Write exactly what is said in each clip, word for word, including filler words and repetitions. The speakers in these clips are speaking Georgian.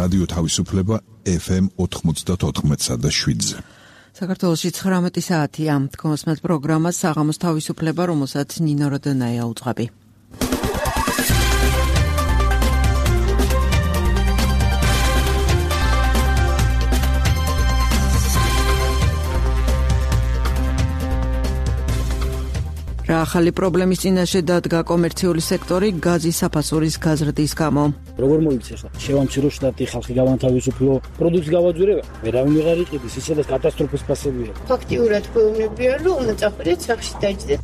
რადიო თავისუფლება ეფ ემ ოთხმოცდაოთხ და შვიდზე. საქართველოში ცხრამეტი საათია. თქვენს პროგრამას საღამოს თავისუფლება, რომელსაც ნინო როდონაია უძღვები. რა ახალი პრობლემის წინაშე დადგა კომერციული სექტორი გაზის საფასურის გაზრდის გამო. როგორ მოიქცე ხა? შევამცირო შტატი ხალხი გავანთავისუფლო, პროდუქტს გავაძვირე, ვერავინ ვეღარ იყიდის, ისე და კატასტროფის ფასებია. ფაქტიურად გვეუბნებიან, რომ უნდა წახვიდეთ სახლში დაიჯდეთ.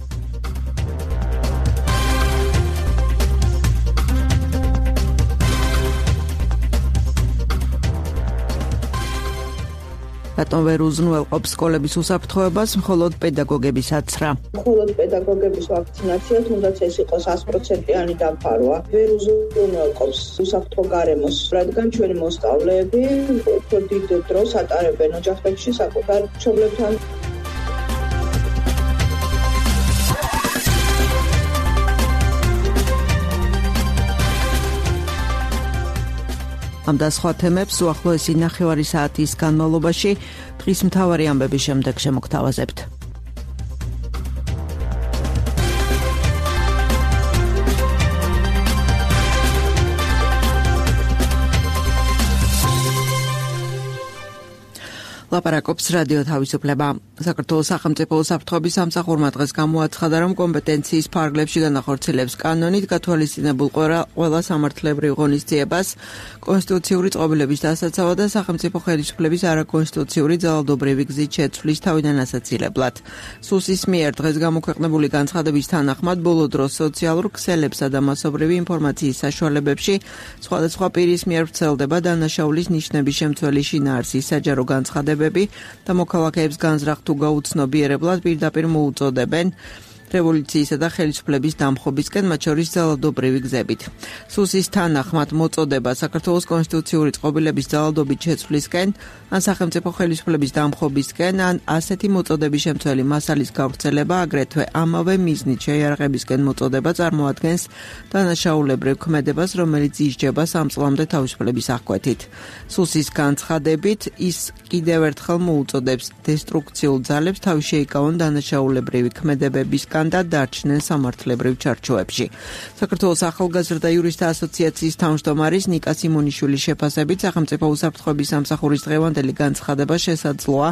რატომ ვერ უზრუნველყოფს სკოლების უსაფრთხოებას, მხოლოდ პედაგოგების აცრა. მხოლოდ პედაგოგების ვაქცინაციას უნდა ეს იყოს ათი პროცენტიანი დაფარვა. ვერ უზრუნველყოფს უსაფრთხო გარემოს, რადგან ჩვენი მოსწავლეები უფრო დიდ დროს ატარებენ ოჯახებში საკუთარ მშობლებთან. ამ და სხვა თემებს უახლოესი ნახევარი საათის განმავლობაში დღის მთავარი ამბების შემდეგ შემოგთავაზებთ. ლაპარაკობს რადიო თავისუფლება. საქართველოს სახელმწიფო უსაფრთხოების სამსახურმა დღეს გამოაცხადა, რომ კომპეტენციის ფარგლებში განახორციელებს კანონით გათვალისწინებულ ყველა სამართლებრივ ღონისძიებას კონსტიტუციური წყობილების დასაცავად და სახელმწიფო ხელისუფლების არაკონსტიტუციური ძალადობრივი გზით შეცვლის თავიდან ასაცილებლად. სუსის მიერ დღეს გამოქვეყნებული განცხადების თანახმად ბოლო დროს სოციალურ ქსელებსა და მასობრივი ინფორმაციის საშუალებებში სხვადასხვა პირის მიერ ვრცელდება დანაშაულის ნიშნების შემცველი შინაარსის საჯარო განცხადებები და მოქალაქეებს განზრახ თუ გაუცნობიერებლად პირდაპირ მოუწოდებენ რევოლუციისა და ხელისუფლების დამხობისკენ, მათ შორის ძალადობრივი გზებით. სუსის თანახმად მოწოდება საქართველოს კონსტიტუციური წყობილების ძალადობით შეცვლისკენ, ან სახელმწიფო ხელისუფლების დამხობისკენ, ან ასეთი მოწოდების შემცველი მასალის გავრცელება, აგრეთვე ამავე მიზნით შეიარაღებისკენ მოწოდება წარმოადგენს დანაშაულებრივ ქმედებას, რომელიც ისჯება სამ წლამდე თავისუფლების აღკვეთით. სუსის განცხადებით, ის კიდევ ერთხელ მოუწოდებს დესტრუქციულ ძალებს თავი შეიკავონ დანაშაულებრივი ქმედებებისგან და დარჩნენ სამართლებრივ ჩარჩოებში. საქართველოს ახალგაზრდა იურისტთა ასოციაციის თავმჯდომარის ნიკა სიმონიშვილის შეფასებით, სახელმწიფო უსაფრთხოების სამსახურის დღევანდელი განცხადება შესაძლოა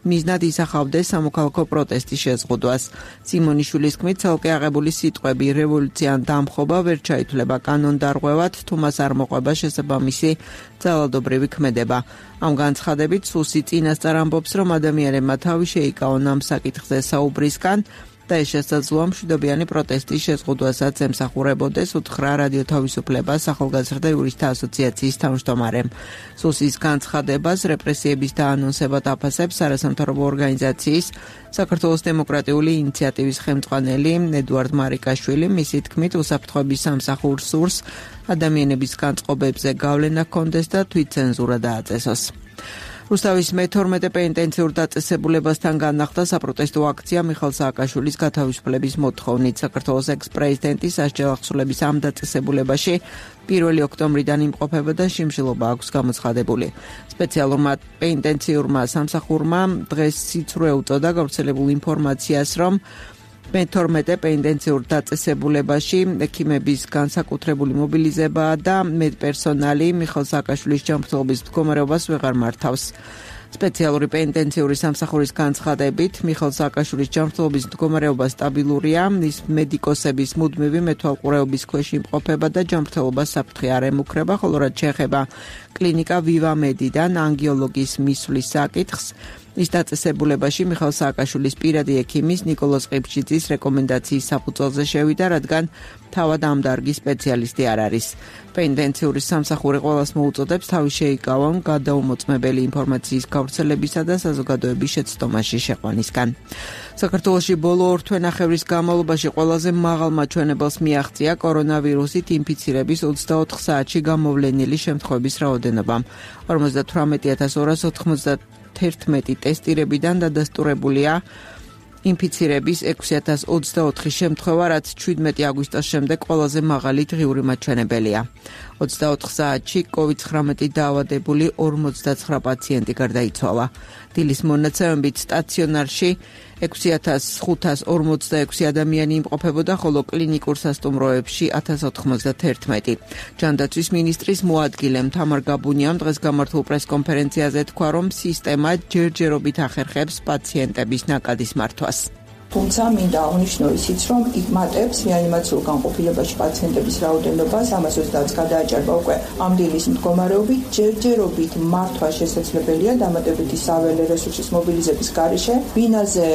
მიზნად ისახავდეს სამოქალაქო პროტესტის შეზღუდვას. სიმონიშვილის თქმით, ცალკე აღებული სიტყვები რევოლუცია ან დამხობა ვერ ჩაითვლება კანონდარღვევად, თუ მას არ მოყვება შესაბამისი ძალადობრივი ქმედება. ამ განცხადებით სუსი წინასწარ ამბობს, რომ ადამიანებმა თავი შეიკავონ ამ საკითხზე საუბრისგან და ეს შესაძლოა მშვიდობიანი პროტესტის შეზღუდვასაც ემსახურებოდეს, უთხრა რადიო თავისუფლებას ახალგაზრდა იურისტთა ასოციაციის თავმჯდომარემ. სუსის განცხადებას რეპრესიების დაანონსებად აფასებს არასამთავრობო ორგანიზაციის საქართველოს დემოკრატიული ინიციატივის ხელმძღვანელი ედუარდ მარიკაშვილი. მისი თქმით, უსაფრთხოების სამსახურს სურს ადამიანების განწყობებზე გავლენა ჰქონდეს და თვითცენზურა დააწესოს. რუსთავის მეთორმეტე პენიტენციურ დაწესებულებასთან განახლდა საპროტესტო აქცია მიხეილ სააკაშვილის გათავისუფლების მოთხოვნით. საქართველოს ექს-პრეზიდენტის სასჯელახსულების ამ დაწესებულებაში პირველი ოქტომბრიდან იმყოფება და შიმშილობა აქვს გამოცხადებული. სპეციალურმა პენიტენციურმა სამსახურმა დღეს სიცრუე უწოდა გავრცელებულ ინფორმაციას, რომ მეთორმეტე პენიტენციურ დაწესებულებაში ექიმების განსაკუთრებული მობილიზება და მედპერსონალი მიხეილ სააკაშვილის ჯანმრთელობის მდგომარეობას ვეღარ მართავს. სპეციალური პენიტენციური სამსახურის განცხადებით, მიხეილ სააკაშვილის ჯანმრთელობის მდგომარეობა სტაბილურია, ის მედიკოსების მუდმივი მეთვალყურეობის ქვეშ იმყოფება და ჯანმრთელობა საფრთხე არ ემუქრება, ხოლო რაც შეეხება კლინიკა ვივამედიდან ანგიოლოგის მისვლის საკითხს, ის დაწესებულებაში მიხეილ სააკაშვილის პირადი ექიმის ნიკოლოზ ყიფშიძის რეკომენდაციის საფუძველზე შევიდა, რადგან თავად ამ დარგის სპეციალისტი არ არის. პენიტენციური სამსახური ყველას მოუწოდებს თავი შეიკავონ გადაუმოწმებელი ინფორმაციის გავრცელებისა და საზოგადოების შეცდომაში შეყვანისგან. საქართველოში ბოლო ორ თვენახევრის განმავლობაში ყველაზე მაღალ მაჩვენებელს მიაღწია კორონავირუსით ინფიცირების ოცდაოთხ საათში გამოვლენილი შემთხვევების რაოდენობამ. ორმოცდათვრამეტი ათას ორას ოთხმოცდაათი ტესტირებიდან დადასტურებულია ინფიცირების ექვსი ათას ოცდაოთხი შემთხვევა, რაც შვიდმეტი აგვისტოს შემდეგ ყველაზე მაღალი დღიური მაჩვენებელია. ოცდაოთხ საათში კოვიდ ცხრამეტი დაავადებული ორმოცდაცხრა პაციენტი გარდაიცვალა. დილის მონაცემებით სტაციონარში ექვსი ათას ხუთას ორმოცდაექვსი ადამიანი იმყოფებოდა, ხოლო კლინიკურ სასტუმროებში ათას ოთხმოცდაერთმეტი. ჯანდაცვის მინისტრის მოადგილე თამარ გაბუნიამ დღეს გამართულ პრესკონფერენციაზე თქვა, რომ სისტემა ჯერჯერობით ახერხებს პაციენტების ნაკადის მართვას. თუმცა მინდა აღნიშნო ისიც, რომ იკმატებს რეანიმაციურ განყოფილებაში პაციენტების რაოდენობას ამას ოცდაათს გადააჭარბა უკვე ამ დილის მდგომარეობით. ჯერჯერობით მართვა შესაძლებელია დამატებითი საველე რესურსის მობილიზების გარეშე. ბინაზე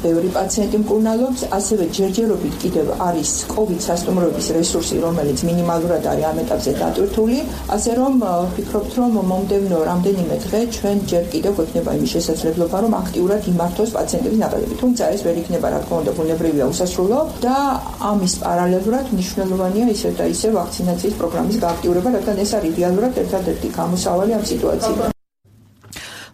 ბევრი პაციენტი მკურნალობს, ასევე ჯერჯერობით კიდევ არის კოვიდ სასტუმროების რესურსი, რომელიც მინიმალურად არის ამ ეტაპზე დატვირთული, ასე რომ ვფიქრობთ, რომ მომდევნო რამდენიმე დღე ჩვენ ჯერ კიდევ გვექნება იმის შესაძლებლობა, რომ აქტიურად იმართოს პაციენტების ნაკადები. თუმცა ეს ვერ იქნება, რა თქმა უნდა, ბუნებრივია, უსასრულო და ამის პარალელურად მნიშვნელოვანია ისე და ისე ვაქცინაციის პროგრამის გააქტიურება, რადგან ეს არის რეალურად ერთადერთი გამოსავალი ამ სიტუაციიდან.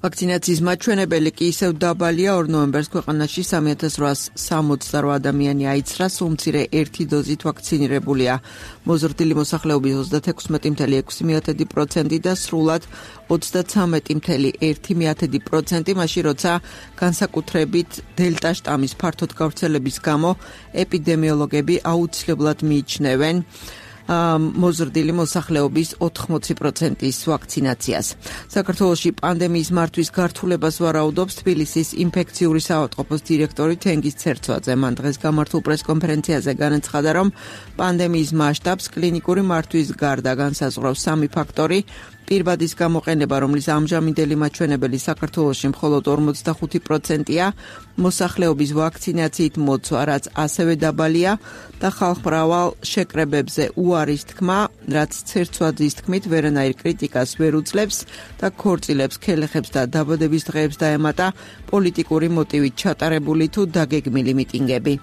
ვაქცინაციის მაჩვენებელი კი ისევ დაბალია. ორ ნოემბერს ქვეყანაში სამი ათას რვაას სამოცდარვა ადამიანი აიცრა, სულ მცირე ერთი დოზით ვაქცინირებულია. მოზრდილი მოსახლეობის ოცდათექვსმეტი ფاصლე ექვსი პროცენტი და სრულად ოცდაცამეტი ფاصლე ერთი პროცენტი, მაშინ როცა განსაკუთრებით დელტა შტამის ფართოდ გავრცელების გამო ეპიდემიოლოგები აუცილებლად მიიჩნევენ მოზრდილი მოსახლეობის ოთხმოცი პროცენტის ვაქცინაციას. საქართველოში პანდემიის მართვის გართულებას ვარაუდობს თბილისის ინფექციური საავადმყოფოს დირექტორი თენგიზ ცერცვაძე. მან დღეს გამართულ პრესკონფერენციაზე განაცხადა, რომ პანდემიის მასშტაბს კლინიკური მართვის გარდა განსაზღვრავს სამი ფაქტორი. პირბადის გამოყენება, რომლის ამჟამინდელი მაჩვენებელი საქართველოში მხოლოდ ორმოცდახუთი პროცენტია, მოსახლეობის ვაქცინაციით მოცვა, რაც ასევე დაბალია და ხალხმრავალ შეკრებებზე უარის თქმა, რაც ცერცვაძის თქმით ვერანაირ კრიტიკას ვერ უძლებს და ქორწილებს, ქელეხებს და დაბადების დღეებს დაემატა პოლიტიკური მოტივით ჩატარებული თუ დაგეგმილი მიტინგები.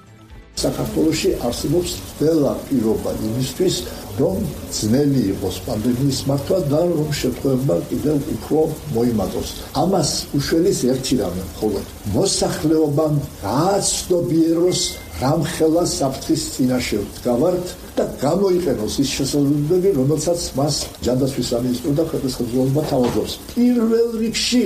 საქართველოში არსებობს ყველა პირობა იმისთვის, რომ ძნელი იყოს პანდემიის მართვა და რომ შემთხვევებმა კიდევ უფრო მოიმატოს. ამას უშველის ერთი რამე, მხოლოდ მოსახლეობამ გააცნობიეროს რამხელა საფრთხის წინაშე ვდგავართ და გამოიყენოს ის შესაძლებლობები, რომელსაც მას ჯანდაცვის სამინისტრო და ქვეყნის ხელმძღვანელობა თავაზობს. პირველ რიგში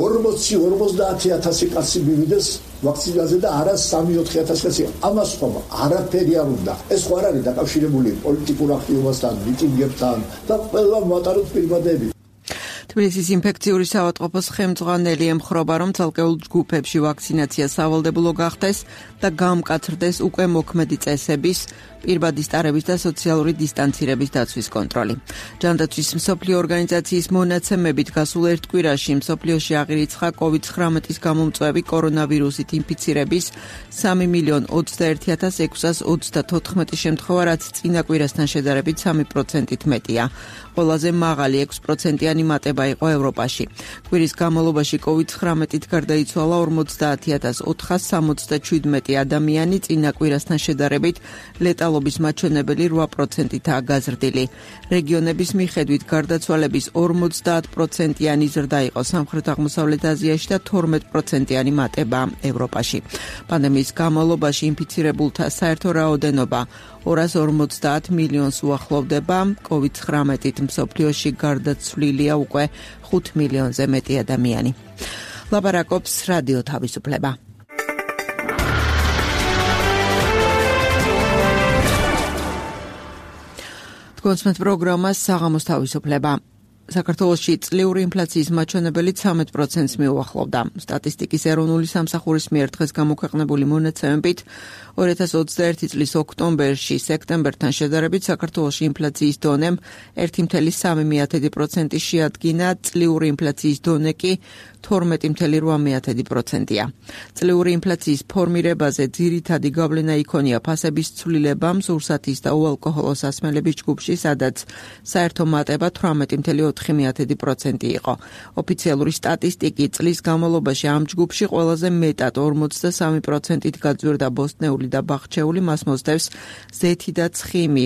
ორმოცი ორმოცდაათი ათასი კაცი მივიდეს ვაქცინაზე და არა სამი ოთხი ათასი კაცი. ამას ხომ არაფერი არ უნდა. ეს ხო არ არის დაკავშირებული პოლიტიკურ აქტივობასთან, მიტინგებთან და ყველა მატაროთ პირბადები. თბილისის ინფექციური საავადმყოფოს ხელმძღვანელი ემხრობა, რომ ცალკეულ ჯგუფებში ვაქცინაცია სავალდებულო გახდეს და გამკაცრდეს უკვე მოქმედი წესების, პირბადის ტარების და სოციალური დისტანცირების დაცვის კონტროლი. ჯანდაცვის მსოფლიო ორგანიზაციის მონაცემებით გასულ ერთ კვირაში მსოფლიოში აღირიცხა კოვიდ ცხრამეტის გამომწვევი კორონავირუსით ინფიცირების სამი მილიონი ოცდაერთი ათას ექვსას ოცდათოთხმეტი შემთხვევა, რაც წინა კვირასთან შედარებით სამი პროცენტით მეტია. ყველაზე მაღალი ექვსი პროცენტიანი მატება იყო ევროპაში. კვირის განმავლობაში კოვიდ ცხრამეტით გარდაიცვალა ორმოცდაათი ათას ოთხას სამოცდაშვიდმეტი ადამიანი, წინა კვირასთან შედარებით ლეტალობის მაჩვენებელი რვა პროცენტითაა გაზრდილი. რეგიონების მიხედვით გარდაცვალების ორმოცდაათ პროცენტიანი ზრდა იყო სამხრეთ-აღმოსავლეთ აზიაში და თორმეტ პროცენტიანი მატება ევროპაში. პანდემიის განმავლობაში ინფიცირებულთა საერთო რაოდენობა ორას ორმოცდაათ მილიონს უახლოვდება. კოვიდ ცხრამეტით მსოფლიოში გარდაცვლილია უკვე ხუთ მილიონზე მეტი ადამიანი. ლაპარაკობს რადიო თავისუფლება. კონსმეთ პროგრამას საღამოს თავისუფლება. საქართველოში წლიური ინფლაციის მაჩვენებელი ცხრამეტ პროცენტს მიუახლოვდა. სტატისტიკის ეროვნული სამსახურის მიერ დღეს გამოქვეყნებული მონაცემებით ორი ათას ოცდაერთი წლის ოქტომბერში სექტემბერთან შედარებით საქართველოში ინფლაციის დონემ ერთი ფاصლე სამი პროცენტი შეადგინა, წლიური ინფლაციის დონე კი თორმეტი ფاصლე რვა პროცენტია. წლიური ინფლაციის ფორმირებაზე ძირითადი გავლენა იქონია ფასების ცვლილებამ სურსათის და უალკოჰოლო სასმელების ჯგუფში, სადაც საერთო მატება თვრამეტი ფاصლე ოთხი პროცენტი იყო. ოფიციალური სტატისტიკით წლის განმავლობაში ამ ჯგუფში ყველაზე მეტად ორმოცდასამი პროცენტით გაძვირდა ბოსტნეული და ბახჩეული, მას მოსდევს ზეთი და ცხიმი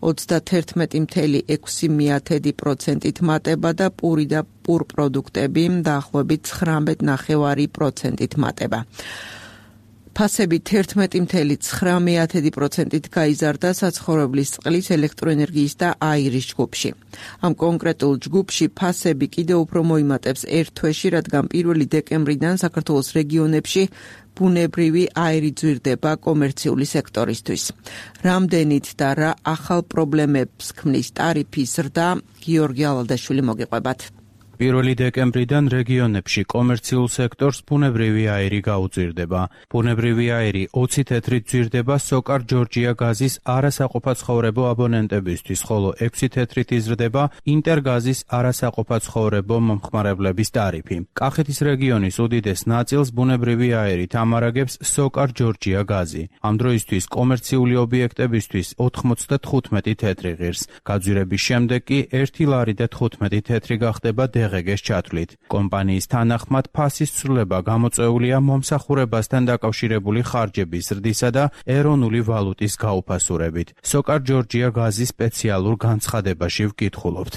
ოცდაათერთმეტი ფاصლე ექვსი პროცენტით მატება და პური და პურ პროდუქტები დაახლოებით ცხრამეტ ნახევარი პროცენტით მატება. ფასები თერთმეტი წუთი ცხრამეტი პროცენტით გაიზარდა საცხოვრებლის წყლის, ელექტროენერგიის და აირის ჯგუფში. ამ კონკრეტულ ჯგუფში ფასები კიდევ უფრო მოიმატებს ერთ თვეში, რადგან პირველი დეკემბრიდან საქართველოს რეგიონებში ბუნებრივი აირი ძვირდება კომერციული სექტორისთვის. რამდენით და რა ახალ პრობლემებს ქმნის ტარიფის ზრდა, გიორგი ალადაშვილი მოგიყვებათ. პირველი დეკემბრიდან რეგიონებში კომერციულ სექტორს ბუნებრივი აირი გაუძვირდება. ბუნებრივი აირი ოცი თეთრით ძვირდება სოკარ ჯორჯია გაზის არასაყოფაცხოვრებო აბონენტებისთვის, ხოლო ექვსი თეთრით იზრდება ინტერგაზის არასაყოფაცხოვრებო მომხმარებლების ტარიფი. კახეთის რეგიონის უდიდეს ნაწილს ბუნებრივი აირით ამარაგებს სოკარ ჯორჯია გაზი. ამ დროისთვის კომერციული ობიექტებისთვის ოთხმოცდათხუთმეტი თეთრი ღირს. გაძვირების შემდეგ კი ერთი ლარი და თხუთმეტი თეთრი გახდება დღეგეს ჩათვლით. კომპანიის თანახმად ფასის ცვლილება გამოწვეულია მომსახურებასთან დაკავშირებული ხარჯების ზრდისა და ეროვნული ვალუტის გაუფასურებით. სოკარ ჯორჯია გაზის სპეციალურ განცხადებაში ვკითხულობთ.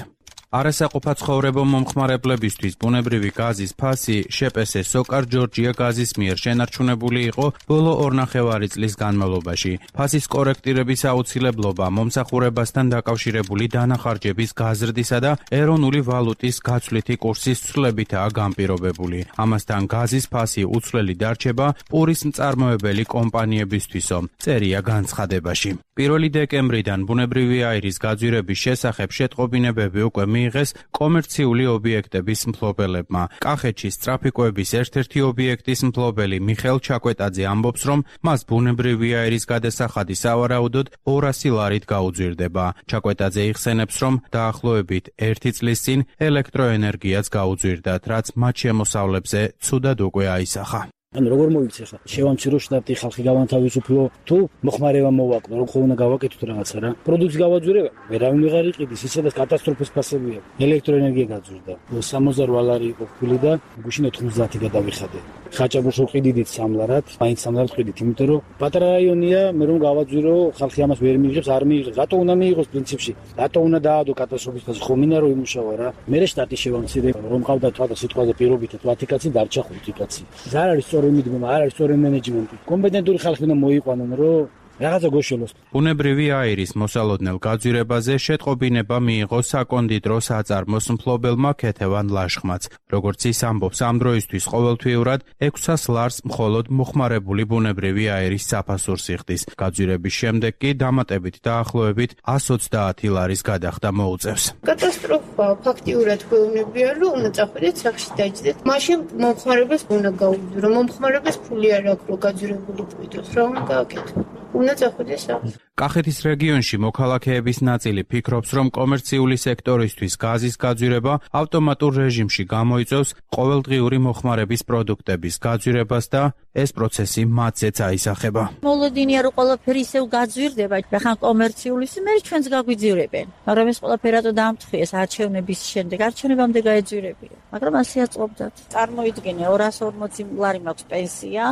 არასაყოფაცხოვრებო მომხმარებლებისთვის ბუნებრივი გაზის ფასი შპს სოკარ ჯორჯია გაზის მიერ შენარჩუნებული იყო ბოლო ორნახევარი წლის განმავლობაში. ფასის კორექტირების აუცილებლობა მომსახურებასთან დაკავშირებული დანახარჯების გაზრდისა და ეროვნული ვალუტის გაცვლითი კურსის ცვლილებითაა განპირობებული. ამასთან გაზის ფასი უცვლელი დარჩება პურის მწარმოებელი კომპანიებისთვისო, წერია განცხადებაში. პირველი დეკემბრიდან ბუნებრივი აირის გაძვირების შესახებ შეტყობინებები უკვე მიიღეს კომერციული ობიექტების მფლობელებმა. კახეთში ტრაფიკოების ერთ-ერთი ობიექტის მფლობელი მიხეილ ჩაკვეტაძე ამბობს, რომ მას ბუნებრივი აირის გადასახადი სავარაუდოდ ორასი ლარით გაუძვირდება. ჩაკვეტაძე იხსენებს, რომ დაახლოებით ერთი წლის წინ ელექტროენერგიაც გაუძვირდათ, რაც მათ შემოსავლებზე ცუდად უკვე აისახა. ანუ როგორ მოიქცე ხა შევამცირო შტატი ხალხი გავანთავისუფლო თუ მოხმარება მოვაკლო რომ ხომ უნდა გავაკეთოთ რაღაცა რა პროდუქტს გავაძვირება ვერავინ ვეღარ იყიდის ისე და კატასტროფის ფასებია ელექტროენერგია გაძვირდა სამოცდაოთხ ლარი იყო ფული და გუშინ ოთხმოცდაათი გადავიხადე ხაჭაპურში ყიდიდით სამლარად მაინც სამლარად ყიდით იმიტომ რომ პატარა რაიონია მე რომ გავაძვირო ხალხი ამას ვერ მიიღებს არ მიიღებს რატო უნდა მიიღოს პრინციპში რატო უნდა დაადო კატასტროფის ფასი ხომ მინდა რომ იმუშავა რა მე შტატი შევამცირე რომ ყავდა თქვა სიტყვაზე პირობითად ვათიკაცი დარჩა ხუთი კაცი ზარ არის მიდგომა არ არის სწორი მენეჯმენტი კომპეტენტური ხალხი უნდა მოიყვანონ რომ რაღაცა გოშელოს. ბუნებრივი აირის მოსალოდნელ გაძვირებაზე შეტყობინება მიიღო საკონდიტრო საწარმოს მფლობელმა ქეთევან ლაშხმაც. როგორც ის ამბობს, ამ დროისთვის ყოველთვიურად ექვსას ლარს მხოლოდ მოხმარებული ბუნებრივი აირის საფასურს იხდის. გაძვირების შემდეგ კი დამატებით დაახლოებით εκατს ოცდაათი ლარის გადახდა მოუწევს. კატასტროფა ფაქტიურად გვეუბნებია, რომ უნდა წახვიდეთ სახში დაიჭდეთ. მაშინ მომხმარებელს უნდა გაუგზავნო. მომხმარებელს ფული არ აქვს რომ გაძვირებული წვიდოს. რა უნდა გააკეთო? უნდა წახვიდეს სახში. კახეთის რეგიონში მოქალაქეების ნაწილი ფიქრობს, რომ კომერციული სექტორისთვის გაზის გაძვირება ავტომატურ რეჟიმში გამოიწვევს ყოველდღიური მოხმარების პროდუქტების გაძვირებას და ეს პროცესი მათზეც აისახება. მოლოდინია რომ ყველაფერი ისევ გაძვირდება, ხან კომერციულის მე ჩვენს გაგვიძვირებენ. მაგრამ ეს ყველაფერი რატო დაამტხვიეს არჩევნების შემდეგ, არჩევნებამდე გაეძვირებია. მაგრამ ასე აწყობდათ. წარმოიდგინე ორას ორმოცი ლარი მაქვს პენსია,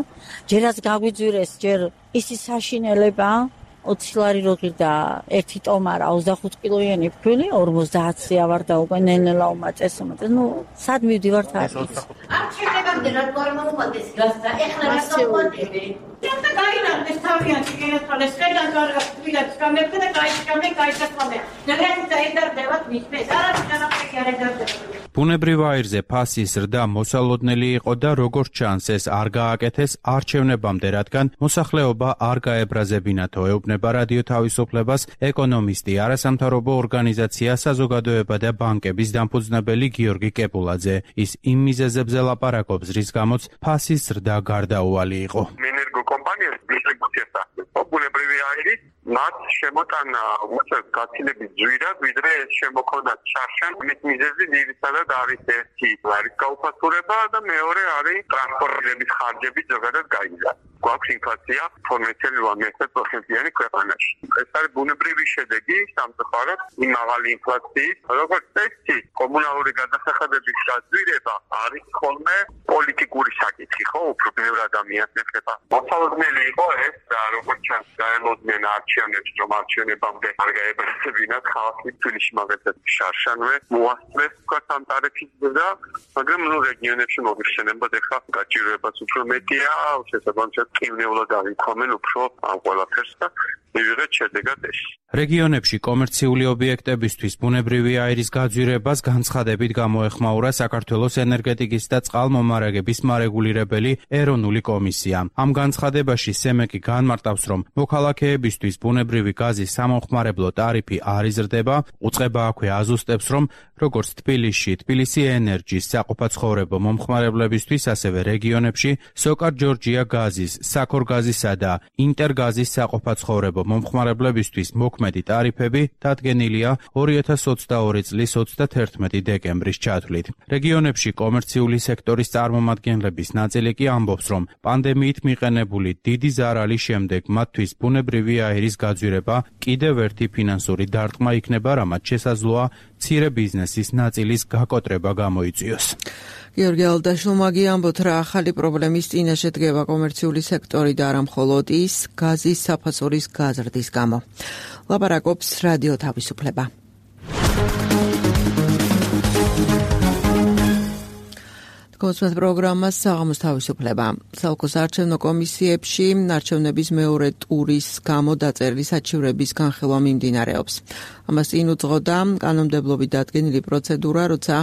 ჯერაც გაგვიძვირეს, ჯერ ისი საშინელება ოცი ლარი როგირდა ერთი ტომარა ოცდახუთ კილოიანი ფქვილი ორმოცდაათი ავარდა უკვე ნელ-ნელა უმაწეს უმაწეს ნუ სად მივდივართ აქ არჩევნებამდე რა თქმა უნდა გასცა ეხლა რა მოყვანები და გაიგარდეს თავიანთი გენათვალეს ხედან კარგად თვითონ გამეფდა და გაიშკამე გაიშკამე ნაგრად დაედარდებათ მისმეს არა განახეკი არ ედარდება ბუნებრივ აირზე ფასის ზრდა მოსალოდნელი იყო და როგორც ჩანს ეს არ გააკეთეს არჩევნებამდე, რადგან მოსახლეობა არ გაებრაზებინათო, ეუბნება რადიო თავისუფლებას ეკონომისტი, არასამთავრობო ორგანიზაცია საზოგადოება და ბანკების დამფუძნებელი გიორგი კეპულაძე. ის იმ მიზეზებზე ლაპარაკობს, რის გამოც ფასის ზრდა გარდაუვალი იყო. მინერგო კომპანიას დისტრიბუცията ბუნებრივი აირი მათ შემოტანა უწევს გაცილებით ძვირად, ვიდრე ეს შემოქონდათ შარშან. მის მიზეზი ძირითადად არის ერთი ლარის გაუფასურება და მეორე არის ტრანსპორტირების ხარჯები ზოგადად გაიზარდა. გვაქვს ინფლაცია ორმოცდაათი პროცენტიანი ქვეყანაში. ეს არის ბუნებრივი შედეგი სამწუხაროდ იმ მაღალი ინფლაციის, როგორც წესი, კომუნალური გადასახადების გაძვირება არის ხოლმე პოლიტიკური საკითხი, ხო, უფრო ბევრ ადამიანს ეხება. მოსალოდნელი იყო ეს და როგორც ჩანს, გაელოდნენ არჩევნები ამბობს რომ არჩევნებამდე არ გაებრაცებინათ ხალხი თბილისში მაგალითად შარშანვე მოასწრეს თქვა ამ ტარიფის და მაგრამ ნუ რეგიონებში მოგიხსენებათ ეხლა გაჭირვებაც უფრო მეტია შესაბამისად ყინულად აღიქვამენ უფრო ამ ყველაფერს და მივიღეთ შედეგად ეს. რეგიონებში კომერციული ობიექტებისთვის ბუნებრივი აირის გაძვირებას განცხადებით გამოეხმაურა საქართველოს ენერგეტიკის და წყალმომარაგების მარეგულირებელი ეროვნული კომისია. ამ განცხადებაში სემეკი განმარტავს, რომ მოქალაქეებისთვის ბუნებრივი გაზის სამომხმარებლო ტარიფი არ იზრდება, უწყება აქვე აზუსტებს, რომ როგორც თბილისში, თბილისი ენერჯის საყოფაცხოვრებო მომხმარებლებისთვის, ასევე რეგიონებში სოკარ ჯორჯია გაზის, საქორ გაზისა და ინტერგაზის საყოფაცხოვრებო მომხმარებლებისთვის მოქმედი ტარიფები დადგენილია ორი ათას ოცდაორი წლის ოცდათერთმეტი დეკემბრის ჩათვლით. რეგიონებში კომერციული სექტორის წარმომადგენლების ნაწილი კი ამბობს, რომ პანდემიით მიყენებული დიდი ზარალის შემდეგ მათთვის ბუნებრივი აირის გაძვირება კიდევ ერთი ფინანსური დარტყმა იქნება, რამაც შესაძლოა მცირე ბიზნესის ნაწილის გაკოტრება გამოიწვიოს. გიორგი ალდაშვილმა ამბობთ, რა ახალი პრობლემის წინაშე დგება კომერციული სექტორი და არა მხოლოდ ის გაზის საფასურის გაზრდის გამო. ლაპარაკობს რადიო თავისუფლება. კონსულტ პროგრამას საღამოს თავისუფლება. სალკოს არჩევნო კომისიებში არჩევნების მეორე ტურის გამო დაწერილი საჩივრების განხილვა მიმდინარეობს. ამას წინ უძღოდა კანონმდებლობით დადგენილი პროცედურა, როცა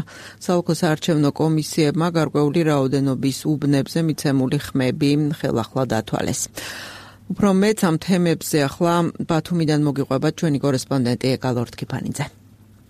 სალკოს არჩევნო კომისიებმა გარკვეული რაოდენობის უბნებზე მიცემული ხმები ხელახლა დათვალეს. უფრო მეც ამ თემებზე ახლა ბათუმიდან მოგიყვება ჩვენი კორესპონდენტი ეკალორდ კიფანიძე.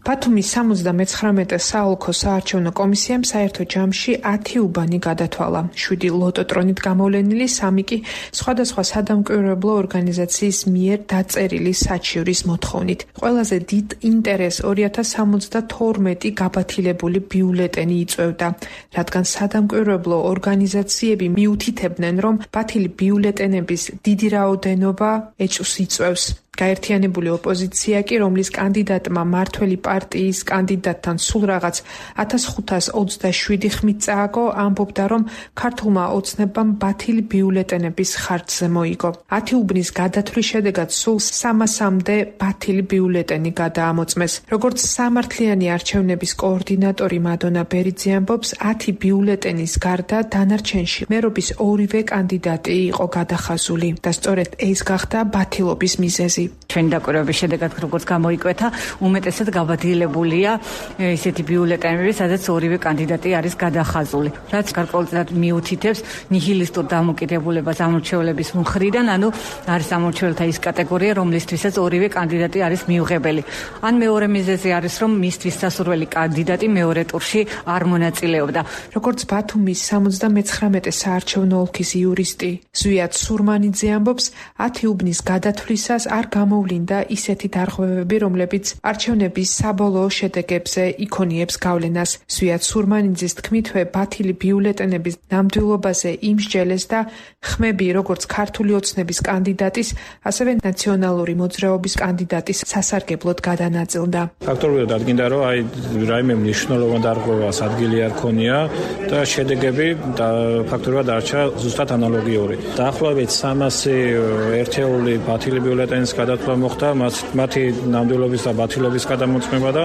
ბათუმის სამოცდამეცხრამეტე საოლქო საარჩევნო კომისიამ საერთო ჯამში ათი უბანი გადათვალა. შვიდი ლოტოტრონით გამოვლენილი, სამი კი სხვადასხვა სადამკვირვებლო ორგანიზაციის მიერ დაწერილი საჩივრის მოთხოვნით. ყველაზე დიდ ინტერესს ორი ათას სამოცდათორმეტი გაბათილებული ბიულეტენი იწვევდა, რადგან სადამკვირვებლო ორგანიზაციები მიუთითებდნენ, რომ ბათილი ბიულეტენების დიდი რაოდენობა ეჭვს იწვევს. გაერთიანებული ოპოზიცია კი, რომლის კანდიდატმა მართველი პარტიის კანდიდატთან სულ რაღაც ათას ხუთას ოცდაშვიდი ხმით წააგო, ამბობდა, რომ ქართულმა ოცნებამ ბათილი ბიულეტენების ხარჯზე მოიგო. ათი უბნის გადათვლის შედეგად სულ სამასამდე ბათილი ბიულეტენი გადაამოწმეს. როგორც სამართლიანი არჩევნების კოორდინატორი მადონა ბერიძე ამბობს, ათი ბიულეტენის გარდა დანარჩენში მერობის ორივე კანდიდატი იყო გადახაზული და სწორედ ეს გახდა ბათილობის მიზეზი. ჩვენი დაკვირვების შედეგად როგორც გამოიკვეთა, უმეტესად გაბათილებულია ესეთი ბიულეტენები, სადაც ორივე კანდიდატი არის გადახაზული. რაც გარკვეულწილად მიუთითებს ნიჰილისტურ დამოკიდებულებას ამორჩევლების მხრიდან, ანუ არის ამორჩევლთა ის კატეგორია, რომლისთვისაც ორივე კანდიდატი არის მიუღებელი. ან მეორე მიზეზი არის, რომ მისთვის სასურველი კანდიდატი მეორე ტურში არ მონაწილეობდა. როგორც ბათუმის სამოცდამეცხრამეტე საარჩევნო ოლქის იურისტი ზვიად სურმანიძე ამბობს, ათი უბნის გადათვლისას არ გამოვლინდა ისეთი დარღვევები, რომლებიც არჩევნების საბოლოო შედეგებზე იქონიებს გავლენას. ზვიად სურმანიძის თქმითვე, ბათილი ბიულეტენების ნამდვილობაზე იმსჯელეს და ხმები როგორც ქართული ოცნების კანდიდატის, ასევე ნაციონალური მოძრაობის კანდიდატის სასარგებლოდ გადანაწილდა. ფაქტობრივად ადგინდა, რომ აი რაიმე მნიშვნელოვანი დარღვევას ადგილი არ ქონია და შედეგები და ფაქტობრივად არჩა ზუსტად ანალოგიური. დაახლოებით სამასი ერთეული ბათილი ბიულეტენის გადათვლა მოხდა, მათი ნამდვილობის და ბათილობის გადამოწმება და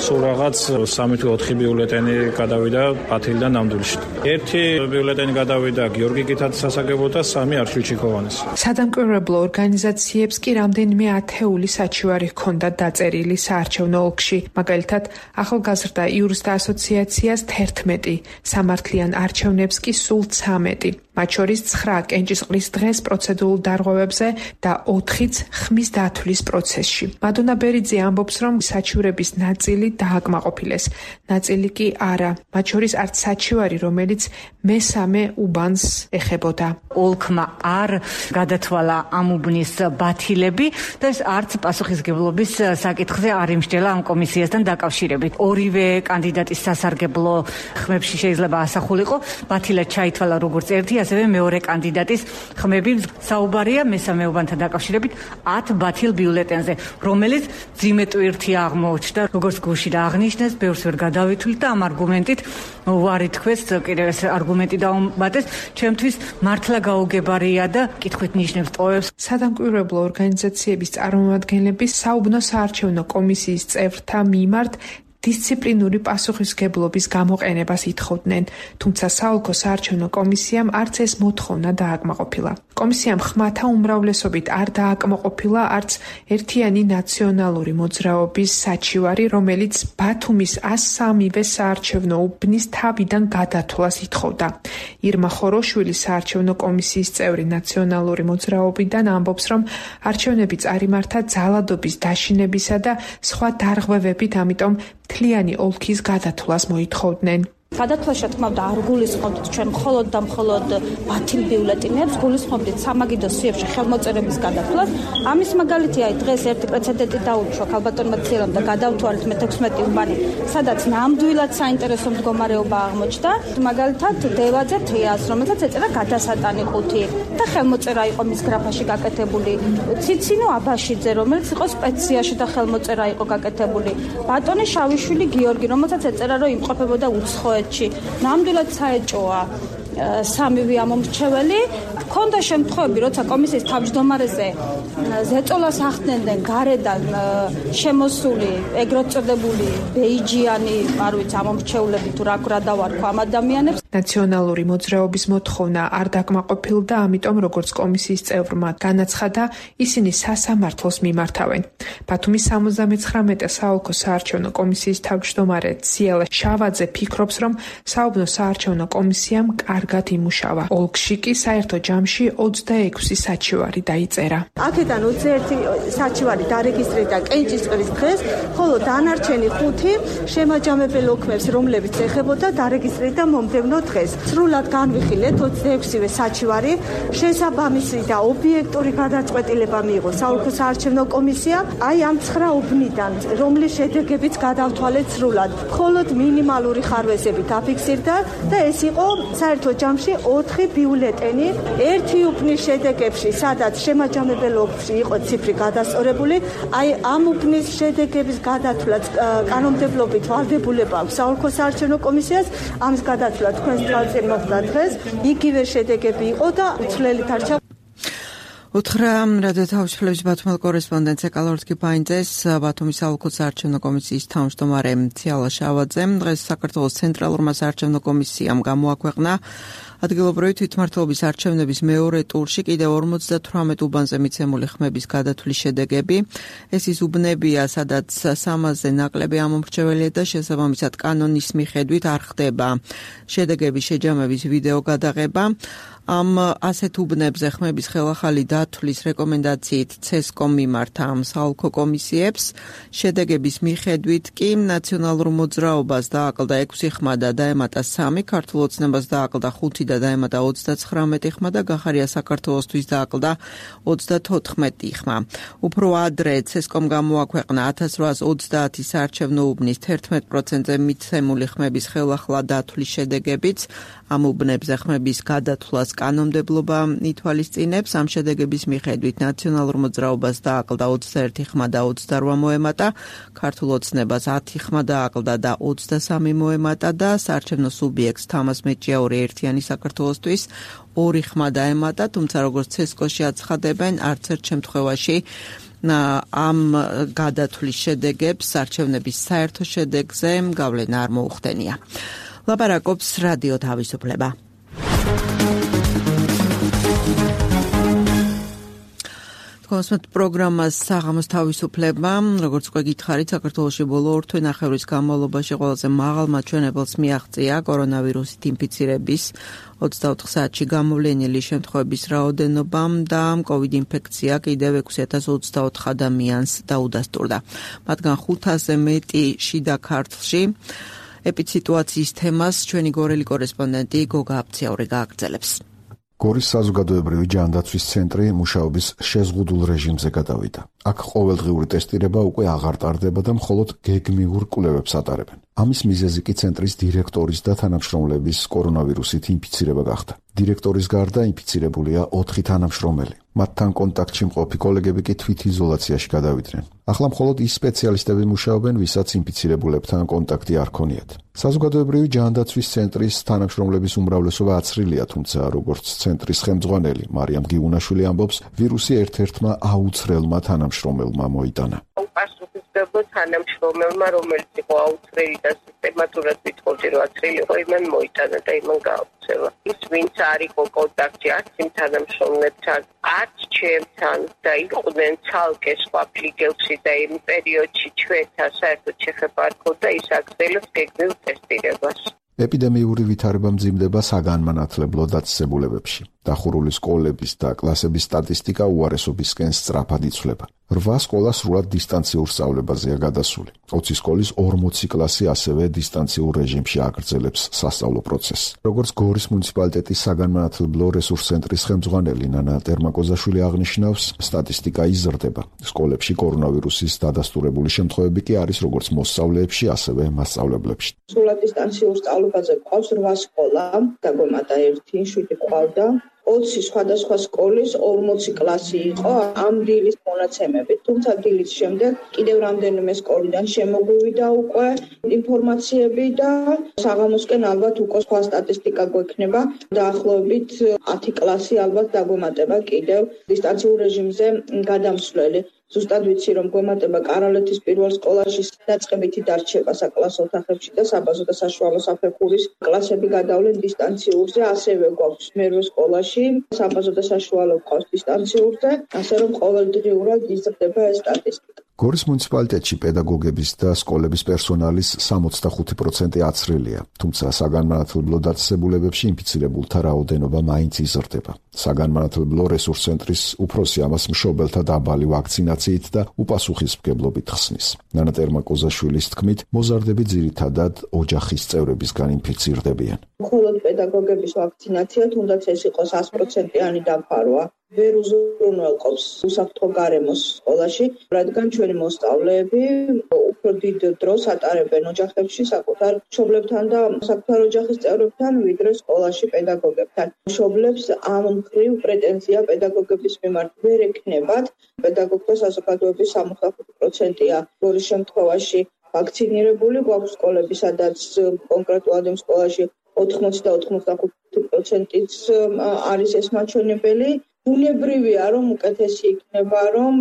სულ რაღაც სამი თუ ოთხი ბიულეტენი გადავიდა ბათილიდან ნამდვილში. ერთი ბიულეტენი გადავიდა გიორგი კითაძის სასარგებლოდ და სამი არჩილ ჩიქოვანის. სადამკვირვებლო ორგანიზაციებს კი რამდენიმე ათეული საჩივარი ჰქონდა დაწერილი საარჩევნო ოლქში. მაგალითად, ახალგაზრდა იურისტთა ასოციაციას თერთმეტი, სამართლიან არჩევნებს კი სულ ცამეტი. მათ შორის ცხრა კენჭისყრის დღეს პროცედურულ დარღვევებზე და ოთხიც ხმის დათვლის პროცესში. მადონა ბერიძე ამბობს, რომ საჩივრების ნაწილი დააკმაყოფილეს, ნაწილი კი არა. მათ შორის არც საჩივარი, რომელიც მესამე უბანს ეხებოდა. ოლქმა არ გადათვალა ამ უბნის ბათილები და ეს არც პასუხისგებლობის საკითხზე არ იმსჯელა ამ კომისიასთან დაკავშირებით. ორივე კანდიდატის სასარგებლო ხმებში შეიძლება ასახულიყო, ბათილად ჩაითვალა როგორც ერთი, ასევე მეორე კანდიდატის ხმები. საუბარია მესამეობანთან დაკავშირებით ათ ბათილ ბიულეტენზე, რომელიც ძიმე ტვირთი აღმოჩნდა, როგორც გუშინ აღნიშნეს, ბევრს ვერ გადავითვლით და ამ არგუმენტით უარი თქვეს, კიდევ ეს არგუმენტი დაუმატეს, ჩემთვის მართლა გაუგებარია და კითხვით ნიშნებს ტოვებს. სადამკვირვებლო ორგანიზაციების წარმომადგენლები საუბნო საარჩევნო კომისიის წევრთა მიმართ დისციპლინური პასუხისმგებლობის გამოყენებას ითხოვდნენ, თუმცა საოლქო საარჩევნო კომისიამ არც ეს მოთხოვნა დააკმაყოფილა. კომისიამ ხმათა უმრავლესობით არ დააკმაყოფილა არც ერთიანი ნაციონალური მოძრაობის საჩივარი, რომელიც ბათუმის ას სამივე საარჩევნო უბნის თავიდან გადათვლას ითხოვდა. ირმა ხოროშვილი საარჩევნო კომისიის წევრი ნაციონალური მოძრაობიდან ამბობს, რომ არჩევნები წარიმართა ძალადობის დაშინებისა და სხვა დარღვევებით, ამიტომ მთლიანი ოლქის გადათვლას მოითხოვდნენ. გადათვლაში თქმავდა არ გულისხმობთ ჩვენ მხოლოდ და მხოლოდ ბათილ ბიულეტინებს, გულისხმობთ სამაგიდო სიებში ხელმოწერების გადათვლას. ამის მაგალითია დღეს ერთი პრეცედენტი დაუჩვა ქალბატონმა ცილამ და გადავთვალეთ მეთექვსმეტი უბანი, სადაც ნამდვილად საინტერესო მდგომარეობა აღმოჩნდა. მაგალითად დევაძე თეას, რომელსაც ეწერა გადასატანი ხუთი და ხელმოწერა იყო მის გრაფაში გაკეთებული. ციცინო აბაშიძე, რომელიც იყო სპეციაში და ხელმოწერა იყო გაკეთებული. ბატონი შავიშვილი გიორგი, რომელსაც ეწერა რომ იმყოფებოდა უცხოეთში. ნამდვილად საეჭოა სამივე ამომრჩეველი. ქონდა შემთხვევები, როცა კომისიის თავმჯდომარეზე ზეწოლას ახდენდნენ გარედან შემოსული ეგრეთ წოდებული ბეიჯიანი, არ ვიცი, ამომრჩევლები თუ რა რა დავარქვა ამ ადამიანებს. ნაციონალური მოძრაობის მოთხოვნა არ დაკმაყოფილდა, ამიტომ როგორც კომისიის წევრმა განაცხადა, ისინი სასამართლოს მიმართავენ. ბათუმის სამოცდამეცხრამეტე საოლქო საარჩევნო კომისიის თავმჯდომარე ციალა შავაძე ფიქრობს, რომ საუბნო საარჩევნო კომისიამ კარგად იმუშავა. ოლქში კი საერთო ჯამში ოცდაექვსი საჩივარი დაიწერა. აქედან ოცდაერთი საჩივარი დარეგისტრირდა კენჭისყრის დღეს, ხოლო დანარჩენი ხუთი შემაჯამებელ ოქმებს, რომლებიც ეხებოდა დარეგისტრირდა მომდევნო დღეს. სრულად განვიხილეთ ოცდაექვსივე საჩივარი, შესაბამისი და ობიექტური გადაწყვეტილება მიიღო საოლქო საარჩევნო კომისიამ. აი ამ ცხრა უბნიდან, რომლის შედეგებიც გადავთვალეთ სრულად, მხოლოდ მინიმალური ხარვეზები დაფიქსირდა და ეს იყო საერთო ჯამში ოთხი ბიულეტენი. ერთი უბნის შედეგებში, სადაც შემაჯამებელ ოლქში იყო ციფრი გადასწორებული, აი ამ უბნის შედეგების გადათვლაც კანონმდებლობით ვალდებულება აქვს საოლქო საარჩევნო კომისიას. ამის გადათვლა თქვენს თვალწინ მოხდა დღეს, იგივე შედეგები იყო და უცვლელი დარჩა. უთხრა რადიო თავისუფლების ბათუმელ კორესპონდენტს ეკალორთკი ფაინძეს ბათუმის საოლქო საარჩევნო კომისიის თავმჯდომარე ციალა შავაძემ დღეს საქართველოს ცენტრალურმა საარჩევნო კომისიამ გამოაქვეყნა ადგილობრივი თვითმმართველობის არჩევნების მეორე ტურში კიდევ ორმოცდათვრამეტ უბანზე მიცემული ხმების გადათვლის შედეგები. ეს ის უბნებია, სადაც სამასზე ნაკლები ამომრჩეველია და შესაბამისად კანონის მიხედვით არ ხდება შედეგების შეჯამების ვიდეო გადაღება. ამ ასეთ უბნებზე ხმების ხელახალი დათვლის რეკომენდაციით ცესკომ მიმართა ამ საოლქო კომისიებს. შედეგების მიხედვით კი ნაციონალურ მოძრაობას დააკლდა ექვსი ხმა და დაემატა სამი, ქართულ ოცნებას დააკლდა ხუთი და დაემატა ოცდაცხრამეტი ხმა და გახარია საქართველოსთვის დააკლდა ოცდათოთხმეტი ხმა. უფრო ადრე ცესკომ გამოაქვეყნა ათას რვაას ოცდაათი საარჩევნო უბნის თერთმეტ პროცენტზე მიცემული ხმების ხელახლა დათვლის შედეგებიც. ამ უბნებზე ხმების გადათვლას კანონმდებლობა ითვალისწინებს. ამ შედეგების მიხედვით ნაციონალურ მოძრაობას დააკლდა ოცდაერთი ხმა და ოცდარვა მოემატა, ქართულ ოცნებას ათი ხმა დააკლდა და ოცდასამი მოემატა და საარჩევნო სუბიექტს თამას მეჭიაური ერთიანი საქართველოსთვის ორი ხმა დაემატა, თუმცა როგორც ცესკოში აცხადებენ, არც ერთ შემთხვევაში ამ გადათვლის შედეგებს არჩევნების საერთო შედეგზე გავლენა არ მოუხდენია. ლაპარაკობს რადიო თავისუფლება. კონსმეთ პროგრამას საღამოს თავისუფლება, როგორც უკვე გითხარით, საქართველოში ბოლო ორ თვე ნახევრის განმავლობაში ყველაზე მაღალ მაჩვენებელს მიაღწია კორონავირუსით ინფიცირების ოცდაოთხ საათში გამოვლენილი შემთხვევების რაოდენობამ და კოვიდ ინფექცია კიდევ ექვსი ათას ოცდაოთხ ადამიანს დაუდასტურდა. მათგან ხუთასზე მეტი შიდა ქართლში. ეპიციტუაციის თემას ჩვენი გორელი კორესპონდენტი გოგა აფციაური გააგრძელებს. გორის საზოგადოებრივი ჯანდაცვის ცენტრი მუშაობის შეზღუდულ რეჟიმზე გადავიდა. აქ ყოველდღიური ტესტირება უკვე აღარ ტარდება და მხოლოდ გეგმიურ კვლევებს ატარებენ. ამის მიზეზი კი ცენტრის დირექტორის და თანამშრომლების კორონავირუსით ინფიცირება გახდა. დირექტორის გარდა ინფიცირებულია ოთხი თანამშრომელი. მათთან კონტაქტში მყოფი კოლეგები კი თვითიზოლაციაში გადავიდნენ. ახლა მხოლოდ ის სპეციალისტები მუშაობენ, ვისაც ინფიცირებულებთან კონტაქტი არ ქონიათ. საზოგადოებრივი ჯანდაცვის ცენტრის თანამშრომლების უმრავლესობა აცრილია, თუმცა როგორც ცენტრის ხელმძღვანელი მარიამ გიუნაშვილი ამბობს, ვირუსი ერთ-ერთმა აუცრელმა თანამშრომელმა მოიტანა. პასუხისმგებლო თანამშრომელმა, რომელიც იყო აუცრელი და სისტემატურად ვიტყოდი, რომ აცრელი იყო, იმან მოიტანა და იმან გააუცელა. ის ვინც არ იყო კონტაქტში არც იმ თანამშრომლებთან, არც ჩემთან და იყვნენ ცალკე სხვა ფლიგელში და იმ პერიოდში ჩვენთან საერთოდ შეხება არ ქონდა, ის აგრძელებს გეგმილ ტესტირებას. ეპიდემიური ვითარება მძიმდება საგანმანათლებლო დაწესებულებებში. დახურული სკოლების და კლასების სტატისტიკა უარესობისკენ სწრაფად იცვლება. რვა სკოლა სრულად დისტანციურ სწავლებაზეა გადასული. ოცი სკოლის ორმოცი კლასი ასევე დისტანციურ რეჟიმში აგრძელებს სასწავლო პროცესს. როგორც გორის მუნიციპალიტეტის საგანმანათლებლო რესურს ცენტრის ხელმძღვანელი ნანა ტერმაკოზაშვილი აღნიშნავს, სტატისტიკა იზრდება. სკოლებში კორონავირუსის დადასტურებული შემთხვევები კი არის როგორც მოსწავლეებში, ასევე მასწავლებლებში. სრულად დისტანციურ სწავლებაზე ყავს რვა სკოლა, დაგვემატა ერთი, შვიდი ყავდა. ოცი სხვადასხვა სკოლის ორმოცი კლასი იყო ამ დილის მონაცემებით. თუმცა დილის შემდეგ კიდევ რამდენიმე სკოლიდან შემოგვივიდა უკვე ინფორმაციები და საღამოსკენ ალბათ უკვე სხვა სტატისტიკა გვექნება. დაახლოებით ათი კლასი ალბათ დაგვემატება კიდევ დისტანციურ რეჟიმზე გადამსვლელი. ზუსტად ვიცი, რომ გვემატება კარალეთის პირველ სკოლაში დაწყებითი დარჩება საკლასო ოთახებში და საბაზო და საშუალო საფეხურის კლასები გადავლენ დისტანციურზე, ასევე გვაქვს მერვე სკოლაში საბაზო და საშუალო ყავს დისტანციურზე, ასე რომ ყოველდღიურად იზრდება ეს სტატისტიკა. გორის მუნიციპალიტეტში პედაგოგების და სკოლების პერსონალის სამოცდახუთი პროცენტი აცრილია, თუმცა საგანმანათლებლო დაწესებულებებში ინფიცირებულთა რაოდენობა მაინც იზრდება. საგანმანათლებლო რესურს ცენტრის უფროსი ამას მშობელთა დაბალი ვაქცინაციით და უპასუხისმგებლობით ხსნის. ნანა ტერმაკოზაშვილის თქმით, მოზარდები ძირითადად ოჯახის წევრებისგან ინფიცირდებიან. მხოლოდ პედაგოგების ვაქცინაცია, თუნდაც ეს იყოს ას პროცენტიანი დაფარვა. ვერ უზრუნველყოფს უსაფრთხო გარემოს სკოლაში, რადგან ჩვენი მოსწავლეები უფრო დიდ დროს ატარებენ ოჯახებში საკუთარ მშობლებთან და საკუთარ ოჯახის წევრებთან, ვიდრე სკოლაში პედაგოგებთან. მშობლებს ამ მხრივ პრეტენზია პედაგოგების მიმართ ვერ ექნებათ. პედაგოგთა საზოგადოების სამოცდახუთი პროცენტია გორის შემთხვევაში ვაქცინირებული, გვაქვს სკოლები, სადაც კონკრეტულად იმ სკოლაში ოთხმოცი და ოთხმოცდახუთი პროცენტიც არის ეს მაჩვენებელი. ბუნებრივია, რომ უკეთესი იქნება, რომ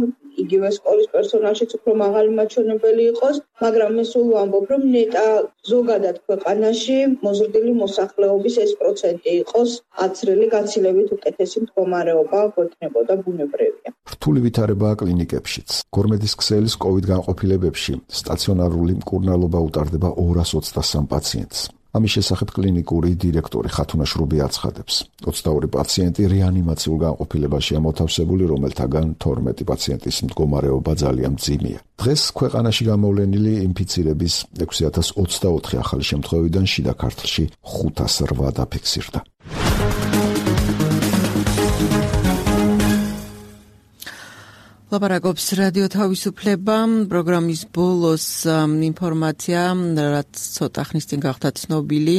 იგივე სკოლის პერსონალშიც უფრო მაღალი მაჩვენებელი იყოს, მაგრამ მე სულ ვამბობ, რომ ნეტა ზოგადად ქვეყანაში მოზრდილი მოსახლეობის ეს პროცენტი იყოს აცრელი, გაცილებით უკეთესი მდგომარეობა გვექნებოდა, ბუნებრივია. რთული ვითარებაა კლინიკებშიც. გორმედის ქსელის კოვიდ განყოფილებებში სტაციონარული მკურნალობა უტარდება ორას ოცდასამ პაციენტს. ამის შესახებ კლინიკური დირექტორი ხათუნა შრუბი აცხადებს. ოცდაორი პაციენტი რეანიმაციულ განყოფილებაშია მოთავსებული, რომელთაგან თორმეტი პაციენტის მდგომარეობა ძალიან მძიმეა. დღეს ქვეყანაში გამოვლენილი ინფიცირების ექვსი ათას ოცდაოთხი ახალი შემთხვევიდან შიდა ქართლში ხუთას რვა დაფიქსირდა. ლაპარაკობს რადიო თავისუფლება. პროგრამის ბოლოს ინფორმაცია, რაც ცოტა ხნის წინ გახდა ცნობილი,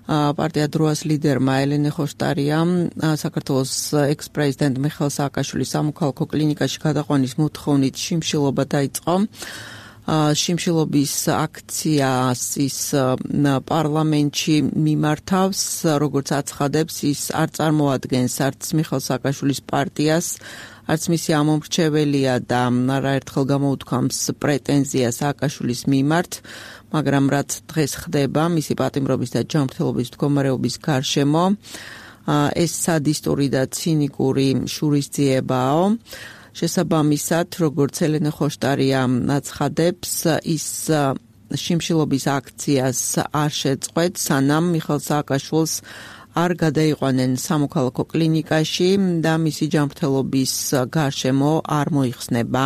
პარტია დროას ლიდერმა ელენე ხოშტარიამ საქართველოს ექს-პრეზიდენტ მიხეილ სააკაშვილის სამოქალაქო კლინიკაში გადაყვანის მოთხოვნით შიმშილობა დაიწყო. შიმშილობის აქციას ის პარლამენტში მიმართავს, როგორც აცხადებს, ის არ წარმოადგენს არც მიხეილ სააკაშვილის პარტიას, არც მისი ამომრჩეველია და არაერთხელ გამოუთქვამს პრეტენზია სააკაშვილის მიმართ, მაგრამ რაც დღეს ხდება მისი პატიმრობის და ჯანმრთელობის მდგომარეობის გარშემო, ეს სადისტური და ცინიკური შურისძიებაა. შესაბამისად, როგორც ელენე ხოშტარია აცხადებს, ის შიმშილობის აქციას არ შეწყვეტ, სანამ მიხეილ სააკაშვილს არ გადაიყვანენ სამოქალაქო კლინიკაში და მისი ჯანმრთელობის გარშემო არ მოიხსნება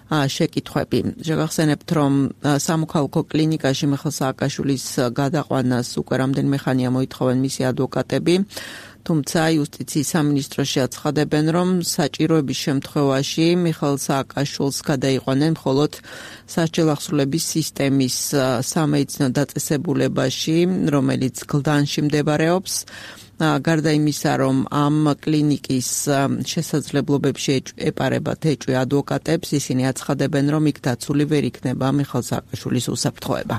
შეკითხვები. შეგახსენებთ, რომ სამოქალაქო კლინიკაში მიხეილ სააკაშვილის გადაყვანას უკვე რამდენიმე ხანია მოითხოვენ მისი ადვოკატები, თუმცა იუსტიციის სამინისტროში აცხადებენ, რომ საჭიროების შემთხვევაში მიხეილ სააკაშვილს გადაიყვანენ მხოლოდ სასჯელახსრულების სისტემის სამედიცინო დაწესებულებაში, რომელიც გლდანში მდებარეობს. გარდა იმისა, რომ ამ კლინიკის შესაძლებლობებში ეპარებათ ეჭვი ადვოკატებს, ისინი აცხადებენ, რომ იქ დაცული ვერ იქნება მიხეილ სააკაშვილის უსაფრთხოება.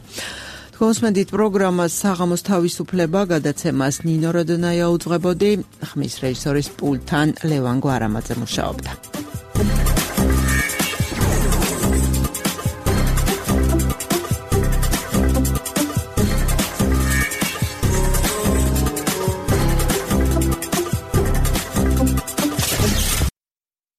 კონსმედით პროგრამას საღამოს თავისუფლება გადაცემას ნინო როდონაია უძღვებოდი, ხმის რეჟისორის პულტთან ლევან გვარამაძე მუშაობდა.